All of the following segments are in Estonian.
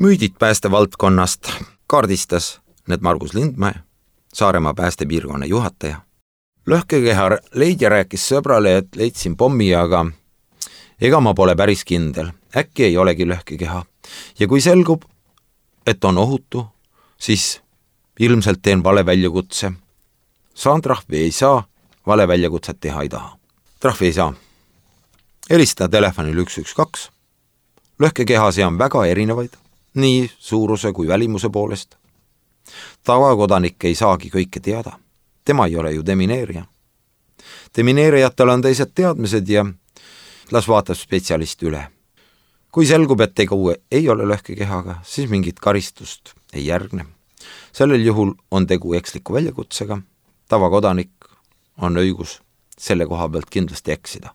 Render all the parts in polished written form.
Müüdid päästevaldkonnast kaardistas need Margus Lindmäe, Saaremaa päästepiirkonna juhataja. Lõhkekeha leidja rääkis sõbrale, et leidsin pommi, aga ega ma pole päris kindel. Äkki ei olegi lõhkekeha. Ja kui selgub, et on ohutu, siis ilmselt teen vale väljakutse. Saan trahvi ei saa, vale väljakutset teha ei taha. Trahvi ei saa. Helistada telefonil 112. Lõhkekehasi on väga erinevaid, nii suuruse kui välimuse poolest. Tavakodanik ei saagi kõike teada. Tema ei ole ju demineerija. Demineerijatel on teised teadmised ja las vaatab spetsialist üle. Kui selgub, et tegu ei ole lõhkekehaga, siis mingit karistust ei järgne. Sellel juhul on tegu eksliku väljakutsega. Tavakodanik on õigus selle koha pealt kindlasti eksida.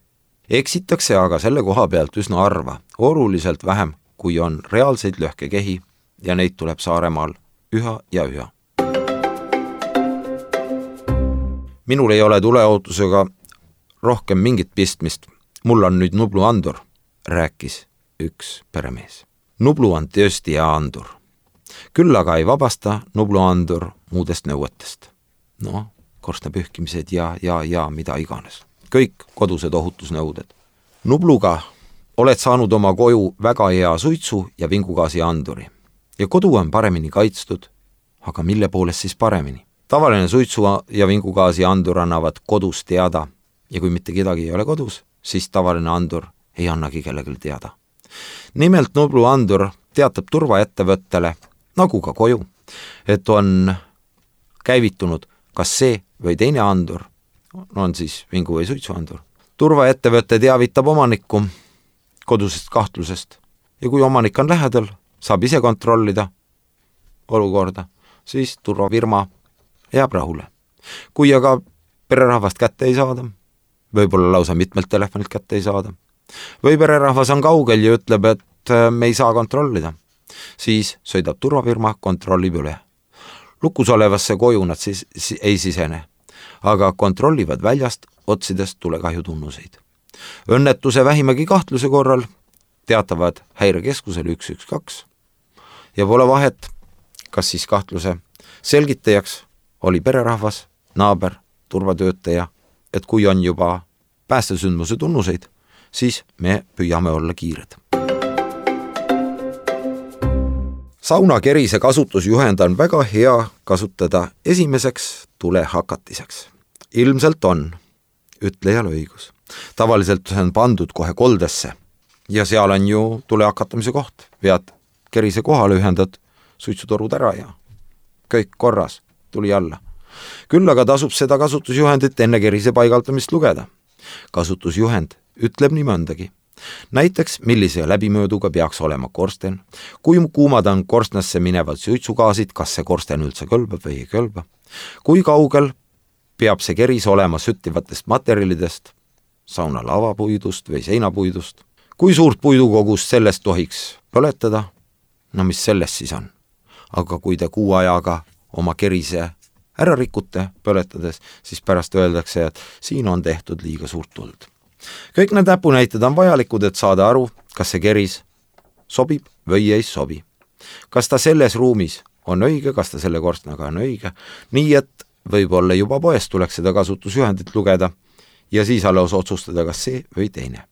Eksitakse aga selle koha pealt üsna harva, oluliselt vähem, kui on reaalseid lõhkekehi ja neid tuleb Saaremaal üha ja üha. Minul ei ole tuleohutusega rohkem mingit pistmist. Mul on nüüd Nublu andur, rääkis üks peremees. Nublu on tõesti hea andur. Küll aga ei vabasta Nublu andur muudest nõuetest. Korstna pühkimised ja mida iganes. Kõik kodused ohutusnõuded. Nubluga oled saanud oma koju väga hea suitsu ja vingugaasi anduri. Ja kodu on paremini kaitstud, aga mille poolest siis paremini? Tavaline suitsu ja vingugaasi andur annavad kodus teada ja kui mitte kedagi ei ole kodus, siis tavaline andur ei annagi kellelgi teada. Nimelt Nublu andur teatab turvaettevõttele, nagu ka koju, et on käivitunud kas see või teine andur, on siis vingu või suitsuandur. Turvaettevõte teavitab omanikku kodusest kahtlusest ja kui omanik on lähedal, saab ise kontrollida olukorda, siis turvafirma jääb rahule. Kui aga pererahvast kätte ei saada, võib-olla lausa mitmelt telefonilt kätte ei saada, või pererahvas on kaugel ja ütleb, et me ei saa kontrollida, siis sõidab turvafirma, kontrollib üle. Lukus olevasse koju nad siis ei sisene, aga kontrollivad väljast, otsidest tulekahju tunnuseid. Õnnetuse vähimagi kahtluse korral teatavad häirekeskusele 112 ja pole vahet, kas siis kahtluse selgitajaks oli pererahvas, naaber, turvatöötaja, et kui on juba päästesündmuse tunnuseid, siis me püüame olla kiired. Saunakerise kasutusjuhend on väga hea kasutada esimeseks tulehakatiseks. Ilmselt on ütlejal õigus. Tavaliselt on pandud kohe koldesse ja seal on ju tulehakatamise koht. Vead kerise kohale, ühendad suitsutorud ära ja kõik korras, tuli alla. Küll aga tasub seda kasutusjuhendit enne kerise paigaldamist lugeda. Kasutusjuhend ütleb nii mõndagi. Näiteks, millise läbimööduga peaks olema korsten, kui kuumad on korstnasse minevad suitsugaasid, kas see korsten üldse kõlbab või ei kõlba, kui kaugel peab see keris olema süttivatest materjalidest, sauna lavapuidust või seinapuidust, kui suurt puidukogust sellest tohiks põletada, mis sellest siis on. Aga kui te kuu ajaga oma kerise ära rikute põletades, siis pärast öeldakse, et siin on tehtud liiga suurt tuld. Kõik need näpunäited on vajalikud, et saada aru, kas see keris sobib või ei sobi. Kas ta selles ruumis on õige, kas ta selle korstnaga on õige, nii et võib-olla juba poest tuleks seda kasutusjuhendit lugeda ja siis alles otsustada, kas see või teine.